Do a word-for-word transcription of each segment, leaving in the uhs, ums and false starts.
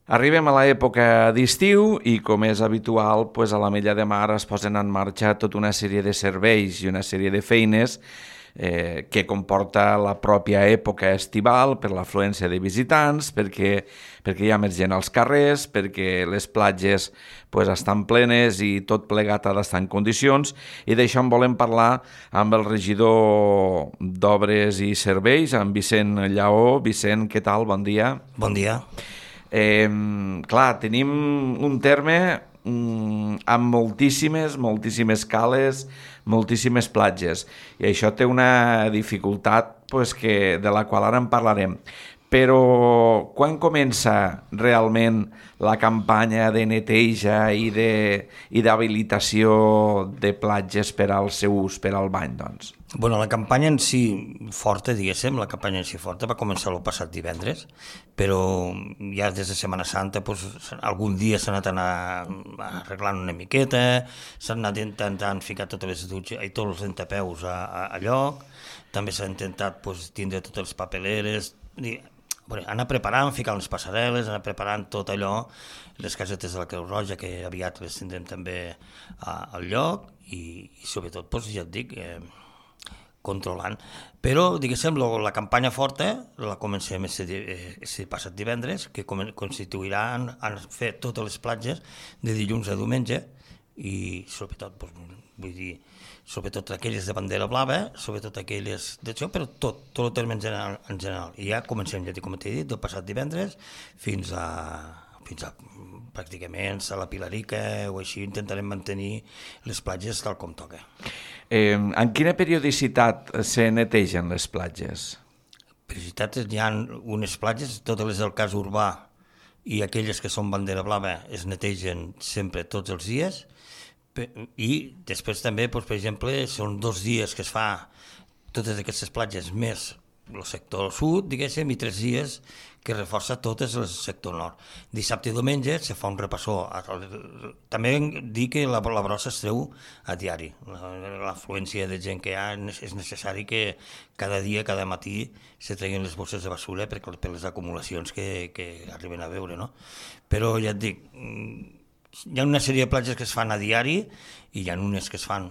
Arribem a l'època d'estiu i, com és habitual, pues a l'Ametlla de Mar es posen en marxa tota una sèrie de serveis i una sèrie de feines eh, que comporta la pròpia època estival per l'afluència de visitants, perquè, perquè hi ha més gent als carrers, perquè les platges pues, estan plenes i tot plegat ha d'estar en condicions, i d'això en volem parlar amb el regidor d'Obres i Serveis, amb Vicent Lleó. Vicent, què tal? Bon dia. Bon dia. Eh, clar, tenim un terme mm, amb moltíssimes, moltíssimes cales, moltíssimes platges, i això té una dificultat pues, que, de la qual ara en parlarem. Però quan comença realment la campanya de neteja i de, i d'habilitació de platges per al seu ús, per al bany, doncs? Bueno, la campanya en si forta, diguéssim, la campanya en si forta va començar el passat divendres, però ja des de Setmana Santa pues, algun dia s'ha anat anar arreglant una miqueta, s'han anat intentant ficar totes les dutxes i tots els entapeus a, a, a lloc, també s'ha intentat pues, tindre totes les papeleres, i, bueno, anar preparant, ficar les passarel·les, anar preparant tot allò, les casetes de la Creu Roja, que aviat les tindrem també a, al lloc, i, i sobretot, pues, ja et dic, eh, controlant. Però, diguéssim, la campanya forta la comencem aquest passat divendres, que constituirà en, en fer totes les platges de dilluns a diumenge, i sobretot, doncs, vull dir, sobretot aquelles de bandera blava, sobretot aquelles d'això, però tot, tot el terme en general. En general. I ja comencem, ja dic, com t'he dit, del passat divendres fins a, fins a pràcticament a la Pilarica o així, intentarem mantenir les platges tal com toca. Eh, en quina periodicitat se netegen les platges? Periodicitats, hi ha unes platges, totes les del cas urbà i aquelles que són bandera blava es netegen sempre tots els dies, i després també, doncs, per exemple, són dos dies que es fa totes aquestes platges més el sector sud, diguéssim, i tres dies que reforça totes el sector nord. Dissabte i diumenge se fa un repassó. També dir que la, la brossa es treu a diari. L'afluència de gent que hi ha és necessari que cada dia, cada matí, se treguin les bosses de basura per, per les acumulacions que, que arriben a veure, no? Però ja et dic, hi ha una sèrie de platges que es fan a diari i hi ha unes que es fan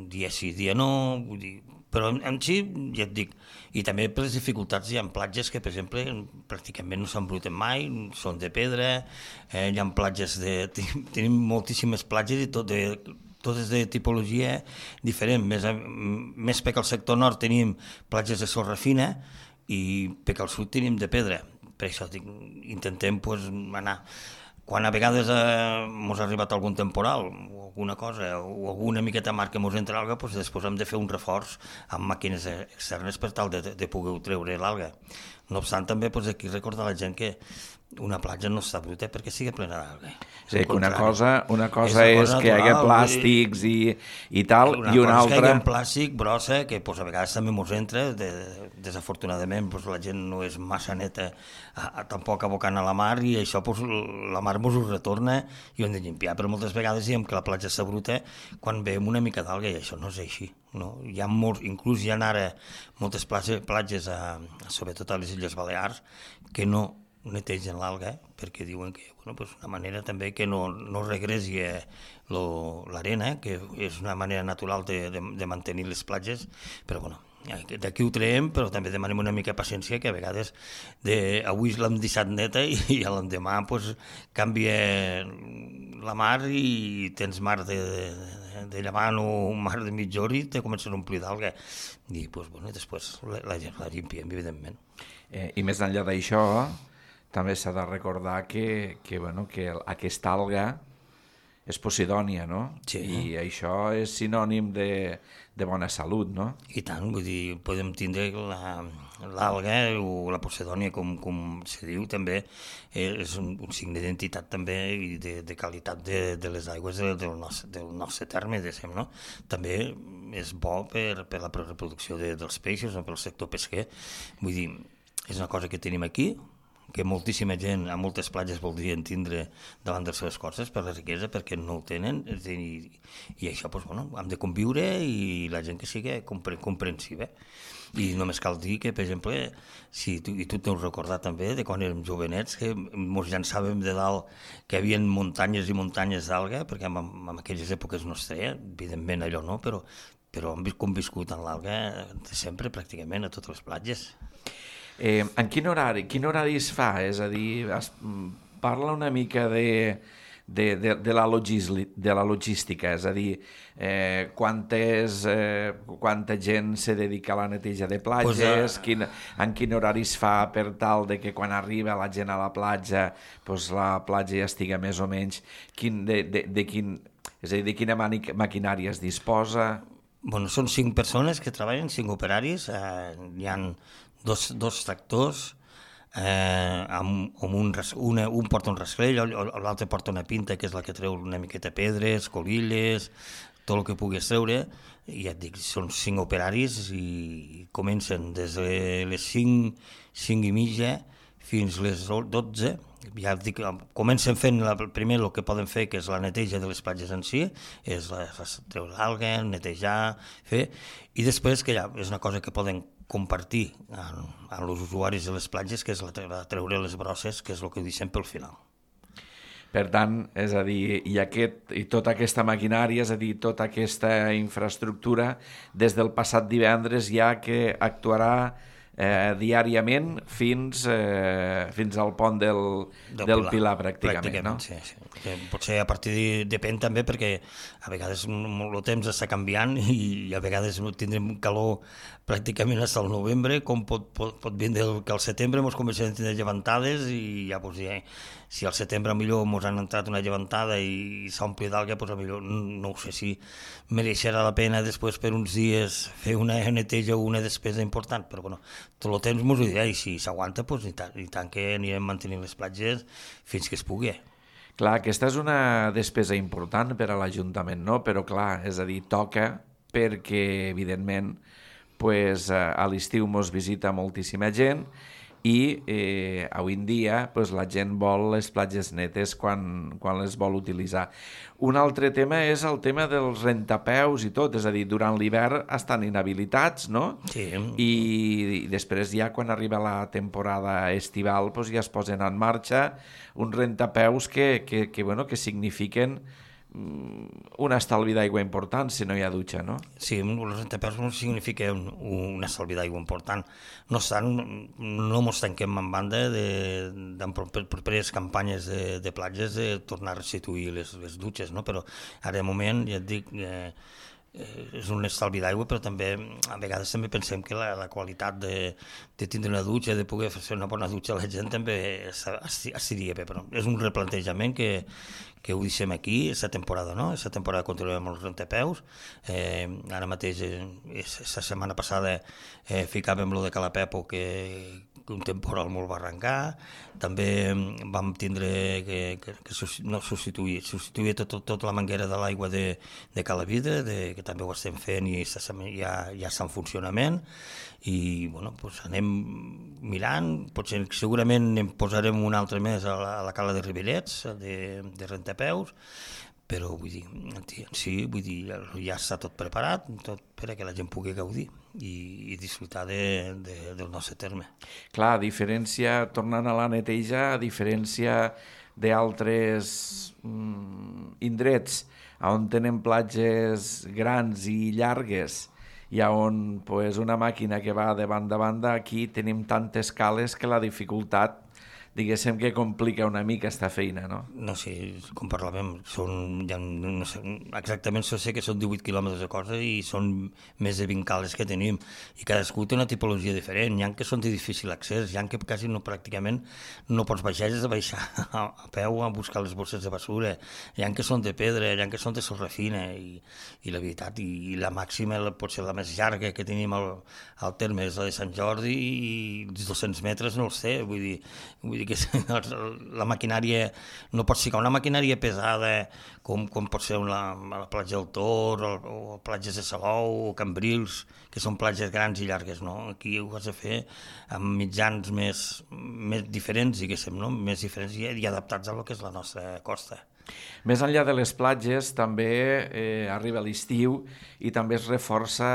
dia sí, dia no, vull dir, però en, en si, ja et dic, i també per les dificultats hi ha platges que, per exemple, pràcticament no s'embruten mai, són de pedra, eh, hi ha platges de... Tenim moltíssimes platges i tot de, totes de tipologia diferent, més, més perquè al sector nord tenim platges de sorra fina i perquè al sud tenim de pedra, per això dic, intentem pues, anar... Quan a vegades eh, mos ha arribat algun temporal o alguna cosa, o alguna miqueta mar que mos entra alga, doncs després hem de fer un reforç amb màquines externes per tal de, de poder treure l'alga. No obstant, també doncs, aquí recordar a la gent que una platja no està bruta perquè sigui plena d'alga. Sí, que una cosa, una cosa és, és cosa que hi hagi plàstics i, i tal, una i una altra... Una cosa és altra... que hi ha plàstic, brossa, que pues, a vegades també mos entra, de, desafortunadament pues, la gent no és massa neta a, a, tampoc abocant a la mar, i això pues, la mar mos ho retorna i ho hem de llimpiar, però moltes vegades diem que la platja està bruta quan veiem una mica d'alga, i això no és així. No? Hi ha molts, inclús hi ha ara moltes platges, platges a, sobretot a les Illes Balears, que no netegen l'alga, perquè diuen que bueno, pues una manera també que no, no regresi l'arena, que és una manera natural de, de, de mantenir les platges, però bueno, d'aquí ho traiem, però també demanem una mica de paciència, que a vegades de, avui l'hem deixat neta i, i l'endemà pues, canvia la mar i tens mar de, de, de llevant o mar de mitjor i te comencen a omplir d'alga. I pues, bueno, després la, la, la llimpiem, evidentment. Eh, I més enllà d'això, també s'ha de recordar que, que, bueno, que aquesta alga és posidònia, no? Sí. I això és sinònim de, de bona salut, no? I tant, vull dir, podem tindre l'alga o la posidònia, com, com se diu, també és un, un signe d'identitat també i de, de qualitat de, de les aigües del, del, nostre, del nostre terme, diguem, no? També és bo per, per la reproducció de, dels peixos o pel sector pesquer. Vull dir, és una cosa que tenim aquí, que moltíssima gent a moltes platges voldrien tindre davant de les seves coses per la riquesa, perquè no ho tenen, i, i això, doncs, bueno, hem de conviure i la gent que sigui compre, comprensiva. I només cal dir que, per exemple, si tu, i tu t'heu recordat també de quan érem jovenets, que ens llançàvem de dalt, que hi havia muntanyes i muntanyes d'alga, perquè en, en aquelles èpoques no es treia, evidentment allò no, però, però hem conviscut en l'alga de sempre, pràcticament, a totes les platges. Eh, en quin horari, quin horari es fa? És a dir, es, parla una mica de... De, de, de, la de la logística, és a dir, eh, quantes, eh, quanta gent se dedica a la neteja de platges, pues, uh... quin, en quin horari es fa per tal de que quan arriba la gent a la platja, pues, la platja ja estiga més o menys, quin, de, de, de, quin, és a dir, de quina maquinària es disposa? Bueno, són cinc persones que treballen, cinc operaris, eh, hi ha dos, dos tractors, Eh, amb, amb un, una, un porta un rasclell, l'altre porta una pinta que és la que treu una miqueta pedres, colilles, tot el que puguis treure, i ja et dic, són cinc operaris i comencen des de les cinc, cinc i mitja fins les dotze, ja et dic, comencen fent la, primer el que poden fer, que és la neteja de les platges en si, és la, treure l'alga, netejar, fer, i després que ja és una cosa que poden compartir amb els usuaris de les platges, que és la treure les brosses, que és el que deixem pel final. Per tant, és a dir, i, aquest, i tota aquesta maquinària, és a dir, tota aquesta infraestructura, des del passat divendres ja que actuarà eh, diàriament fins, eh, fins al pont del, del, del Pilar, Pilar pràcticament, pràcticament, no? Sí, sí. Que potser a partir de, depèn també perquè a vegades el temps està canviant i a vegades tindrem calor pràcticament fins al novembre, com pot, pot, pot vindre que al setembre ens comencem a tenir llevantades i ja, doncs, ja, si al setembre millor ens han entrat una llevantada i s'ompli d'alga, doncs millor no ho sé si mereixerà la pena després per uns dies fer una neteja o una despesa important, però bueno, tot el temps ens ho dirà i si s'aguanta, doncs i tant, i tant que anirem mantenint les platges fins que es pugui. Clar, aquesta és una despesa important per a l'Ajuntament, no? Però clar, és a dir, toca perquè, evidentment, pues, a l'estiu mos visita moltíssima gent i eh, avui en dia pues, la gent vol les platges netes quan, quan les vol utilitzar. Un altre tema és el tema dels rentapeus i tot, és a dir, durant l'hivern estan inhabilitats, no? Sí. I, i després ja quan arriba la temporada estival pues, ja es posen en marxa uns rentapeus que, que, que, bueno, que signifiquen un estalvi d'aigua important si no hi ha dutxa, no? Sí, els rentapeus significa un, un estalvi d'aigua important. No obstant, no ens tanquem en banda de, de, de properes campanyes de, de platges de tornar a restituir les, les dutxes, no? Però ara de moment, ja et dic, eh, és un estalvi d'aigua, però també a vegades també pensem que la, la qualitat de, de tindre una dutxa, de poder fer una bona dutxa a la gent també estaria bé, però és un replantejament que, que ho deixem aquí, aquesta temporada, no? Aquesta temporada continuem amb els rentapeus, eh, ara mateix, eh, la setmana passada eh, ficàvem lo de Calapepo, que un temporal molt va arrencar, també vam tindre que, que, que no substituir, substituir tot, tot la manguera de l'aigua de, de Calavidre, de, que també ho estem fent i ja, ja està en funcionament, i bueno, doncs anem mirant, potser segurament en posarem un altre més a la, a la cala de Ribellets, de, de rentapeus, però vull dir, sí, vull dir, ja està tot preparat tot per a que la gent pugui gaudir i, i disfrutar de, de, del nostre terme. Clar, a diferència, tornant a la neteja, a diferència d'altres mm, indrets on tenen platges grans i llargues i on pues, una màquina que va de banda a banda, aquí tenim tantes cales que la dificultat diguéssim que complica una mica esta feina, no? No sé, com parlàvem, són, ja, no sé, exactament sé que són divuit quilòmetres de cosa i són més de vint cales que tenim i cadascú té una tipologia diferent, hi ha que són de difícil accés, hi ha que quasi no, pràcticament no pots baixar, és de baixar a, a peu a buscar les bosses de basura, hi ha que són de pedra, hi ha que són de sorra fina i, i la veritat, i, i la màxima, potser la més llarga que tenim al, al terme és la de Sant Jordi i els dos-cents metres no els sé, vull dir, vull dir diguéssim, la maquinària, no pots ficar una maquinària pesada com, com pot ser una, la platja del Tor o, o platges de Salou o Cambrils, que són platges grans i llargues, no? Aquí ho has de fer amb mitjans més, més diferents, diguéssim, no? Més diferents i, i adaptats a lo que és la nostra costa. Més enllà de les platges, també eh, arriba l'estiu i també es reforça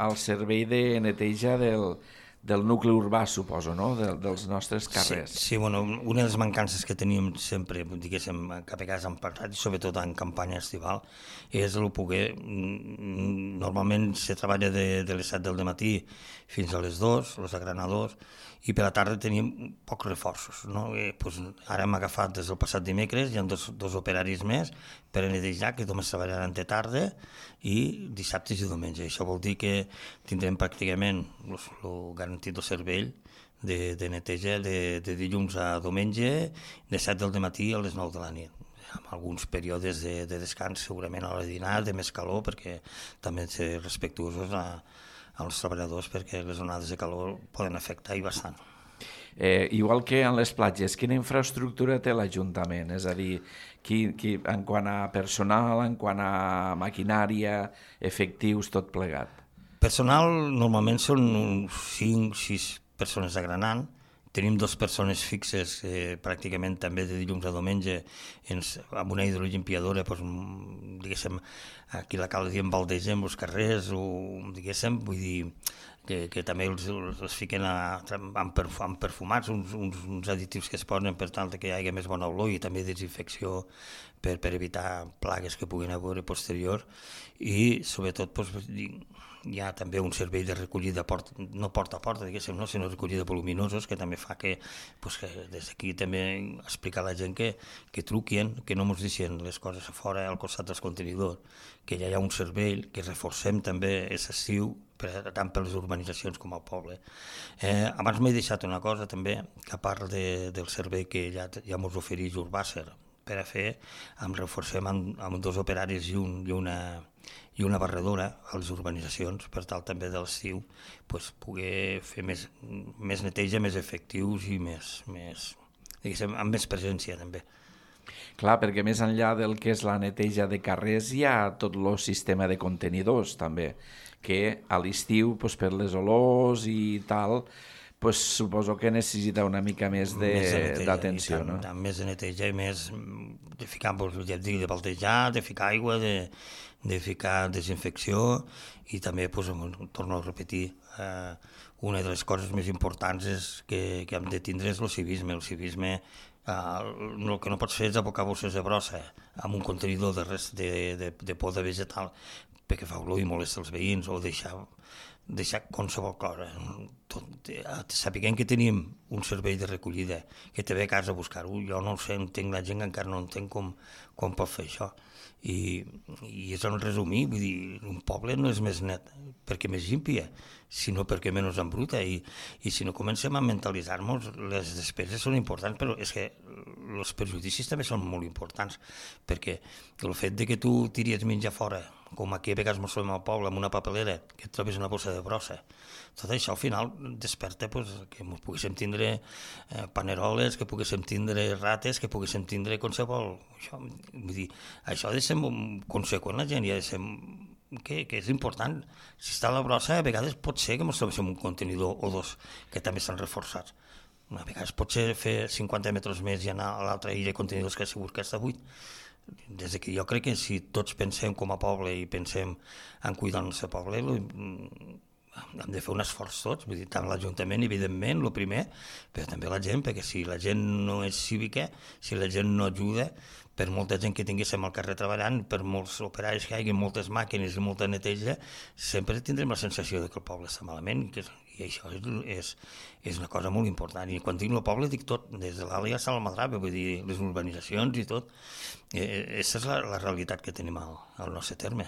el servei de neteja del, del nucli urbà, suposo, no? De, dels nostres carrers. Sí, sí, bueno, una de les mancances que teníem sempre, diguéssim, cap a casa hem parlat, i sobretot en campanya estival, és el poder... Normalment se treballa de, de les set del matí fins a les dues, els agranadors, i per la tarda teníem pocs reforços, no? I, pues, ara hem agafat des del passat dimecres, hi ha dos, dos operaris més per a netejar, que només treballaran de tarda i dissabtes i diumenge. Això vol dir que tindrem pràcticament el garantit del servei de, de neteja de, de dilluns a diumenge, de set del matí a les nou de la nit, amb alguns períodes de, de descans, segurament a l'hora de dinar, de més calor, perquè també hem de ser respectuosos a, als treballadors, perquè les onades de calor poden afectar i bastant. Eh, igual que en les platges, quina infraestructura té l'Ajuntament? És a dir, qui, qui, en quant a personal, en quant a maquinària, efectius, tot plegat? Personal, normalment són uns cinc sis persones agranant. Tenim dues persones fixes, eh, pràcticament també de dilluns a diumenge, ens, amb una hidrolimpiadora, doncs, diguéssim, aquí la cal diem baldegem els carrers, o diguéssim, vull dir, que, que també els, els fiquen a, amb, perf, amb perfumats, uns, uns, uns additius que es posen per tal que hi hagi més bona olor i també desinfecció per, per evitar plagues que puguin haver posterior, i sobretot doncs, hi ha també un servei de recollida, porta, no porta a porta, diguéssim, no, sinó recollida voluminosos, que també fa que, pues, que des d'aquí també explicar a la gent que, que truquin, que no ens deixen les coses a fora, al costat dels contenidors, que ja hi ha un servei, que reforcem també és estiu, per, tant per les urbanitzacions com al poble. Eh, abans m'he deixat una cosa també, que a part de, del servei que ja, ja ens ofereix Urbàcer per a fer, em reforcem amb, amb dos operaris i, un, i una... i una barredora a les urbanitzacions, per tal també de l'estiu pues, poder fer més, més neteja, més efectius i més, més, diguéssim, amb més presència també. Clar, perquè més enllà del que és la neteja de carrers hi ha tot el sistema de contenidors també, que a l'estiu pues, per les olors i tal, pues, suposo que necessita una mica més d'atenció. No? Tant, més de neteja i més de ficar, ja et dic, de baltejar, de ficar aigua, de, de ficar desinfecció i també, pues, torno a repetir, eh, una de les coses més importants és que, que hem de tindre és el civisme. El civisme, eh, el que no pots fer és abocar bosses de brossa amb un contenidor de, res, de, de, de poda vegetal perquè fa olor i molesta els veïns, o deixar deixar qualsevol cosa. Tot, sapiguem que tenim un servei de recollida, que te ve a casa a buscar-ho. Jo no ho sé, entenc la gent que encara no entenc com, com pot fer això. I, i és en resumir, vull dir, un poble no és més net perquè més límpia, sinó perquè menys embruta. I, i si no comencem a mentalitzar-nos, les despeses són importants, però és que els perjudicis també són molt importants, perquè el fet de que tu tiries menjar fora, com aquí a vegades ens trobem al poble, amb una papelera, que et trobes una bossa de brossa, tot això al final desperta pues, que ens poguéssim tindre eh, paneroles, que poguéssim tindre rates, que poguéssim tindre qualsevol... Això, vull dir, això ha de ser conseqüent la gent, i ha de ser... Que, que és important. Si està a la brossa, a vegades pot ser que ens trobéssim un contenidor o dos que també estan reforçats. A vegades pot ser fer cinquanta metres més i anar a l'altra illa de contenidors que segur que està buit. Des que jo crec que si tots pensem com a poble i pensem en cuidar el nostre poble, hem de fer un esforç tots, vull dir, tant l'Ajuntament, evidentment, el primer, però també la gent, perquè si la gent no és cívica, si la gent no ajuda, per molta gent que tinguéssim al carrer treballant, per molts operaris que hi hagi, moltes màquines i molta neteja, sempre tindrem la sensació de que el poble està malament, que, i això és, és, és una cosa molt important. I quan dic el poble dic tot, des de l'Àlia a Salmadrava, vull dir, les urbanitzacions i tot. Eh, aquesta és la, la realitat que tenim al, al nostre terme.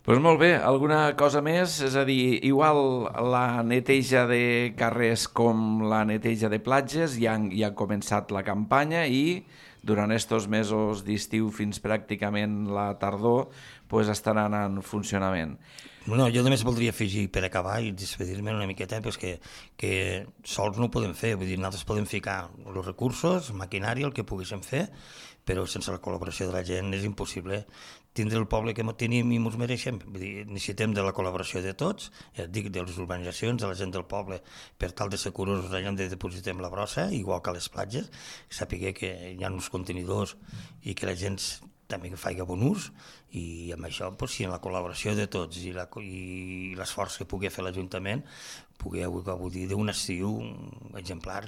Doncs molt bé, alguna cosa més? És a dir, igual la neteja de carrers com la neteja de platges ja, ja ha començat la campanya i durant estos mesos d'estiu fins pràcticament la tardor pues estaran en funcionament. No, jo només voldria afegir per acabar i despedir-me una miqueta pues que, que sols no ho podem fer, vull dir, nosaltres podem ficar els recursos, maquinària, el que poguéssim fer, però sense la col·laboració de la gent és impossible tindre el poble que tenim i ens mereixem. Vull dir, necessitem de la col·laboració de tots, ja et dic, de les urbanitzacions, de la gent del poble, per tal de ser curosos allà on depositem la brossa, igual que a les platges, saber que hi ha uns contenidors i que la gent també que faci bon ús, i amb això, doncs, si en la col·laboració de tots i, la, i l'esforç que pugui fer l'Ajuntament, pugui gaudir d'un estiu exemplar.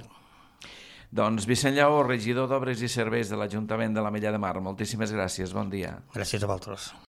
Doncs Vicent Lleó, regidor d'Obres i Serveis de l'Ajuntament de l'Ametlla de Mar, moltíssimes gràcies, bon dia. Gràcies a vosaltres.